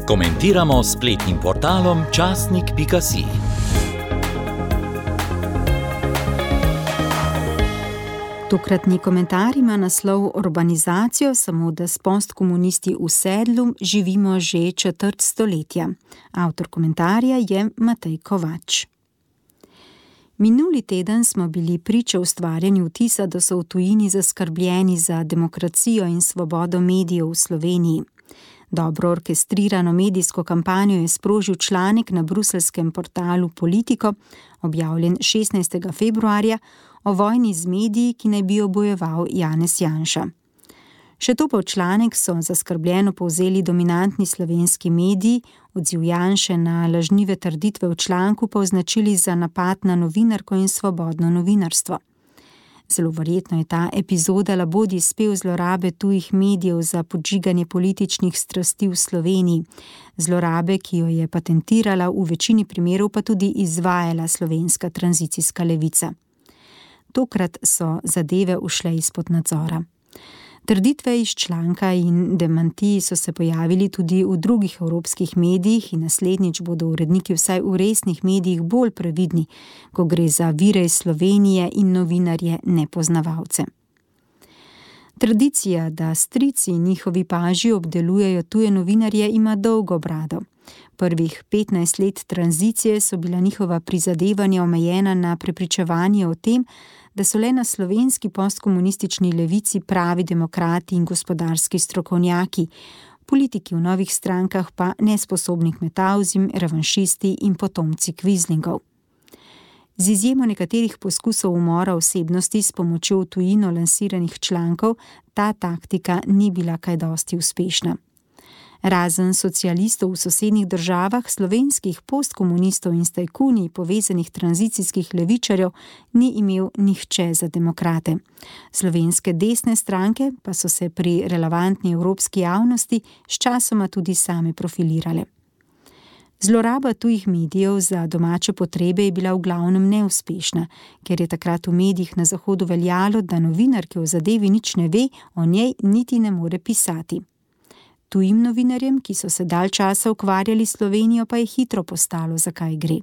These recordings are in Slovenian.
Komentiramo s spletnim portalom časnik.si. Tokratni komentar ima naslov Urbanizacijo, samo da s postkomunisti v sedlu živimo že četrt stoletja. Avtor komentarja je Matej Kovač. Minuli teden smo bili priča ustvarjanju vtisa, da so v tujini zaskrbljeni za demokracijo in svobodo medijev v Sloveniji. Dobro orkestrirano medijsko kampanjo je sprožil članek na bruseljskem portalu Politico, objavljen 16. februarja, o vojni z mediji, ki naj bi jo bojeval Janez Janša. Še to pa v članek so zaskrbljeno povzeli dominantni slovenski mediji, odziv Janše na lažnive trditve v članku pa označili za napad na novinarko in svobodno novinarstvo. Zelo verjetno je ta epizoda labodji spev zlorabe tujih medijev za podžiganje političnih strasti v Sloveniji, zlorabe, ki jo je patentirala, v večini primerov pa tudi izvajala slovenska tranzicijska levica. Tokrat so zadeve ušle izpod nadzora. Trditve iz članka in demantiji so se pojavili tudi v drugih evropskih medijih in naslednjič bodo uredniki vsaj v resnih medijih bolj previdni, ko gre za vire iz Slovenije in novinarje nepoznavalce. Tradicija, da strici in njihovi paži obdelujejo tuje novinarje, ima dolgo brado. Prvih 15 let tranzicije so bila njihova prizadevanja omejena na prepričevanje o tem, da so le na slovenski postkomunistični levici pravi demokrati in gospodarski strokovnjaki, politiki v novih strankah pa nesposobni kmetavzim, revanšisti in potomci kvizlingov. Z izjemo nekaterih poskusov umora osebnosti s pomočjo v tujino lansiranih člankov, ta taktika ni bila kaj dosti uspešna. Razen socialistov v sosednjih državah, slovenskih postkomunistov in s tajkuni povezanih tranzicijskih levičarjev ni imel nihče za demokrate. Slovenske desne stranke pa so se pri relevantni evropski javnosti sčasoma tudi same profilirale. Zloraba tujih medijev za domače potrebe je bila v glavnem neuspešna, ker je takrat v medijih na Zahodu veljalo, da novinar, ki o zadevi nič ne ve, o njej niti ne more pisati. Tujim novinarjem, ki so se dalj časa ukvarjali Slovenijo, pa je hitro postalo, zakaj gre.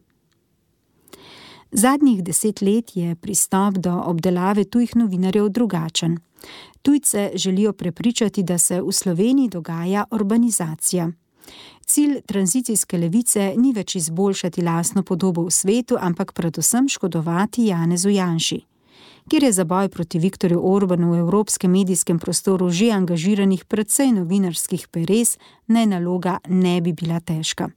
Zadnjih 10 let je pristop do obdelave tujih novinarjev drugačen. Tujce želijo prepričati, da se v Sloveniji dogaja urbanizacija. Cilj tranzicijske levice ni več izboljšati lastno podobo v svetu, ampak predvsem škodovati Janezu Janši. Kjer je za boj proti Viktorju Orbanu v evropskem medijskem prostoru že angažiranih precej novinarskih peres, naj naloga ne bi bila težka.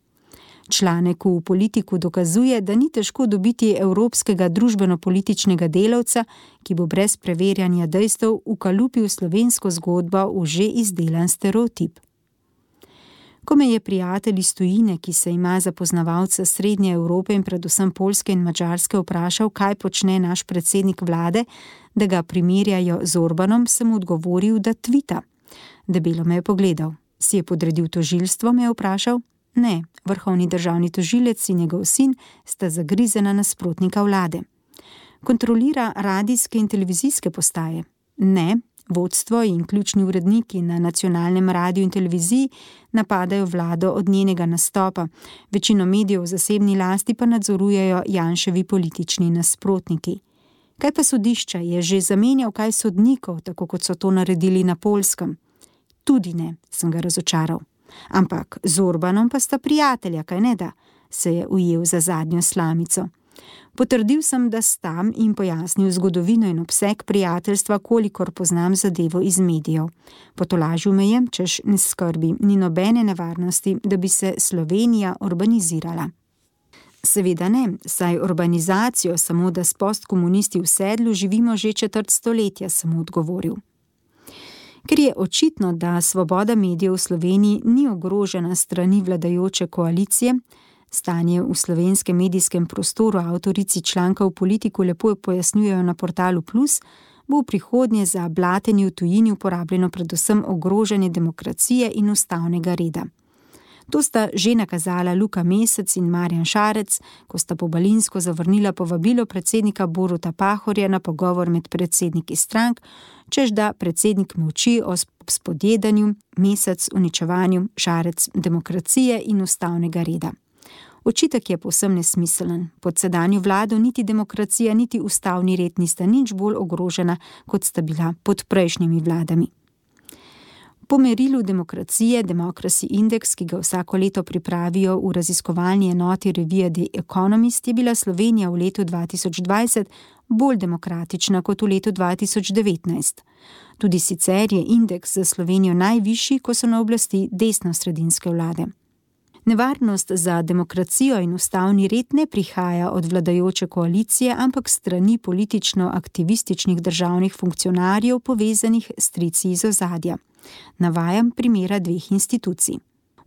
Članek v Politiku dokazuje, da ni težko dobiti evropskega družbeno-političnega delavca, ki bo brez preverjanja dejstev ukalupil slovensko zgodbo v že izdelan stereotip. Ko me je prijatelj iz tujine, ki se ima za poznavalca Srednje Evrope in predvsem Poljske in Madžarske, vprašal, kaj počne naš predsednik vlade, da ga primerjajo z Orbanom, sem odgovoril, da tvita. Debelo me je pogledal. Si je podredil tožilstvo, me je vprašal? Ne, vrhovni državni tožilec in njegov sin sta zagrizena nasprotnika vlade. Kontrolira radijske in televizijske postaje? Ne. Vodstvo in ključni uredniki na nacionalnem radiju in televiziji napadajo vlado od njenega nastopa, večino medijev v zasebni lasti pa nadzorujejo Janševi politični nasprotniki. Kaj pa sodišča, je že zamenjal kaj sodnikov, tako kot so to naredili na Poljskem? Tudi ne, sem ga razočaral. Ampak z Orbanom pa sta prijatelja, kaj ne da, se je ujel za zadnjo slamico. Potrdil sem, da sta in pojasnil zgodovino in obseg prijateljstva, kolikor poznam zadevo iz medijev. Potolažil me je, češ ne skrbi, ni nobene nevarnosti, da bi se Slovenija urbanizirala. Seveda ne, saj urbanizacijo, samo da s postkomunisti v sedlu živimo že četrt stoletja, sem odgovoril. Ker je očitno, da svoboda medijev v Sloveniji ni ogrožena strani vladajoče koalicije, stanje v slovenskem medijskem prostoru avtorici članka v Politiku lepo pojasnjujejo na portalu Plus, bo v prihodnje za blatenje v tujini uporabljeno predvsem ogrožanje demokracije in ustavnega reda. To sta že nakazala Luka Mesec in Marjan Šarec, ko sta pobalinsko zavrnila povabilo predsednika Boruta Pahorja na pogovor med predsedniki strank, čež da predsednik molči o spodjedanju, Mesec uničevanju, Šarec demokracije in ustavnega reda. Očitek je povsem nesmiselen. Pod sedanjo vlado niti demokracija, niti ustavni red nista nič bolj ogrožena, kot sta bila pod prejšnjimi vladami. Po merilu demokracije Democracy Index, ki ga vsako leto pripravijo v raziskovalni enoti revije The Economist, je bila Slovenija v letu 2020 bolj demokratična kot v letu 2019. Tudi sicer je indeks za Slovenijo najvišji, ko so na oblasti desnosredinske vlade. Nevarnost za demokracijo in ustavni red ne prihaja od vladajoče koalicije, ampak strani politično-aktivističnih državnih funkcionarjev povezanih s strici iz ozadja. Navajam primera dveh institucij.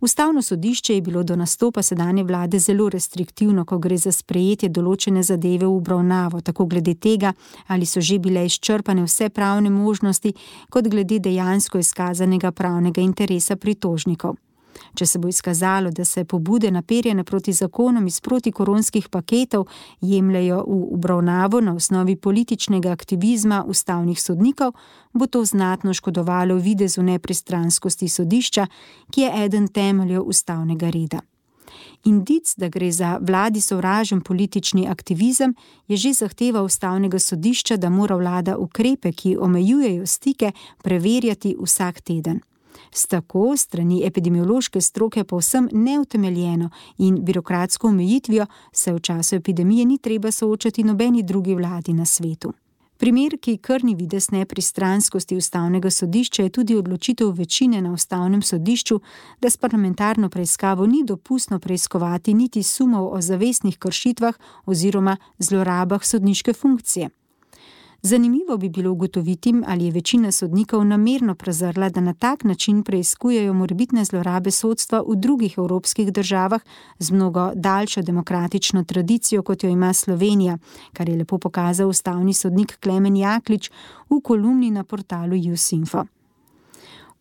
Ustavno sodišče je bilo do nastopa sedanje vlade zelo restriktivno, ko gre za sprejetje določene zadeve v obravnavo, tako glede tega, ali so že bile izčrpane vse pravne možnosti, kot glede dejansko izkazanega pravnega interesa pritožnikov. Če se bo izkazalo, da se pobude naperjene proti zakonom iz protikoronskih paketov jemljejo v obravnavo na osnovi političnega aktivizma ustavnih sodnikov, bo to znatno škodovalo videzu nepristranskosti sodišča, ki je eden temeljev ustavnega reda. Indic, da gre za vladi sovražen politični aktivizem, je že zahteva ustavnega sodišča, da mora vlada ukrepe, ki omejujejo stike, preverjati vsak teden. S tako strani epidemiološke stroke povsem neutemeljeno in birokratsko omejitvijo se v času epidemije ni treba soočati nobeni drugi vladi na svetu. Primer, ki krni videz nepristranskosti ustavnega sodišča, je tudi odločitev večine na ustavnem sodišču, da s parlamentarno preiskavo ni dopustno preiskovati niti sumov o zavestnih kršitvah oziroma zlorabah sodniške funkcije. Zanimivo bi bilo ugotoviti, ali je večina sodnikov namerno prezrla, da na tak način preiskujejo morebitne zlorabe sodstva v drugih evropskih državah z mnogo daljšo demokratično tradicijo, kot jo ima Slovenija, kar je lepo pokazal ustavni sodnik Klemen Jaklič v kolumni na portalu Usinfo.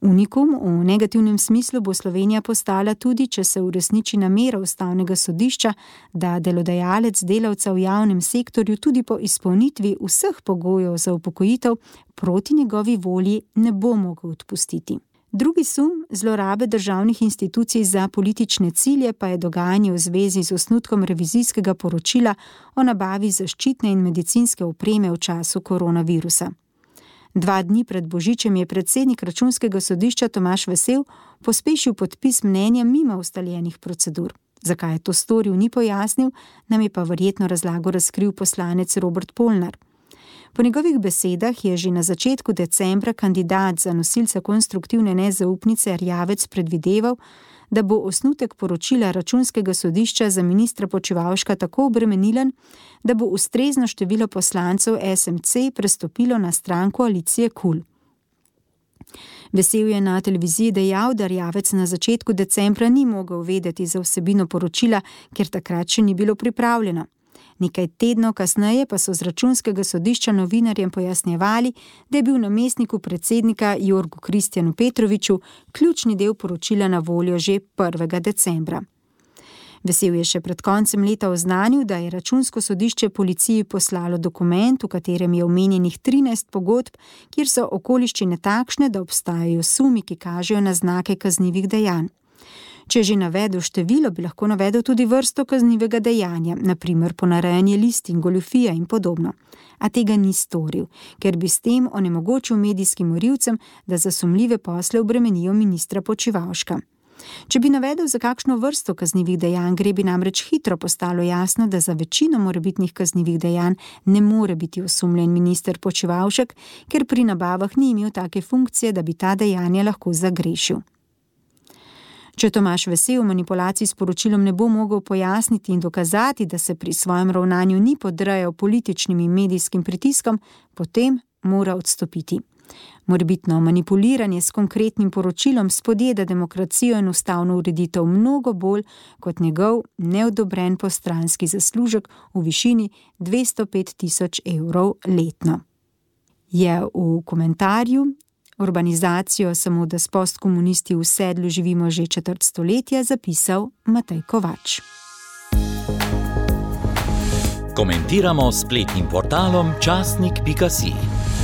Unikum v negativnem smislu bo Slovenija postala tudi, če se uresniči namera ustavnega sodišča, da delodajalec delavca v javnem sektorju tudi po izpolnitvi vseh pogojev za upokojitev proti njegovi volji ne bo mogel odpustiti. Drugi sum zlorabe državnih institucij za politične cilje pa je dogajanje v zvezi z osnutkom revizijskega poročila o nabavi zaščitne in medicinske opreme v času koronavirusa. 2 dni pred Božičem je predsednik Računskega sodišča Tomaž Vesel pospešil podpis mnenja mimo ustaljenih procedur. Zakaj je to storil, ni pojasnil, nam je pa verjetno razlago razkril poslanec Robert Polnar. Po njegovih besedah je že na začetku decembra kandidat za nosilca konstruktivne nezaupnice Erjavec predvideval, da bo osnutek poročila Računskega sodišča za ministra Počivalška tako obremenilen, da bo ustrezno število poslancev SMC prestopilo na stran koalicije KUL. Vesel je na televiziji dejal, da Erjavec na začetku decembra ni mogel vedeti za vsebino poročila, ker takrat še ni bilo pripravljeno. Nekaj tednov kasneje pa so z Računskega sodišča novinarjem pojasnjevali, da je bil namestniku predsednika Jorgu Kristjanu Petroviču ključni del poročila na voljo že 1. decembra. Vesel je še pred koncem leta oznanil, da je Računsko sodišče policiji poslalo dokument, v katerem je omenjenih 13 pogodb, kjer so okoliščine takšne, da obstajajo sumi, ki kažejo na znake kaznivih dejanj. Če že navedel število, bi lahko navedel tudi vrsto kaznivega dejanja, na primer ponarejanje listin, goljufija in podobno. A tega ni storil, ker bi s tem onemogočil medijskim morilcem, da za sumljive posle obremenijo ministra Počivalška. Če bi navedel za kakšno vrsto kaznivih dejanj gre, bi namreč hitro postalo jasno, da za večino morebitnih kaznivih dejanj ne more biti osumljen minister Počivalšek, ker pri nabavah ni imel take funkcije, da bi ta dejanja lahko zagrešil. Če Tomaž Vesel manipulacij s poročilom ne bo mogel pojasniti in dokazati, da se pri svojem ravnanju ni podrejal političnim in medijskim pritiskom, potem mora odstopiti. Morebitno manipuliranje s konkretnim poročilom spodjeda demokracijo in ustavno ureditev mnogo bolj kot njegov neodobren postranski zaslužek v višini 205 000 evrov letno. Je v komentarju Urbanizacijo, samo da s postkomunisti v sedlu živimo že četrt stoletja, zapisal Matej Kovač. Komentiramo s spletnim portalom časnik.si.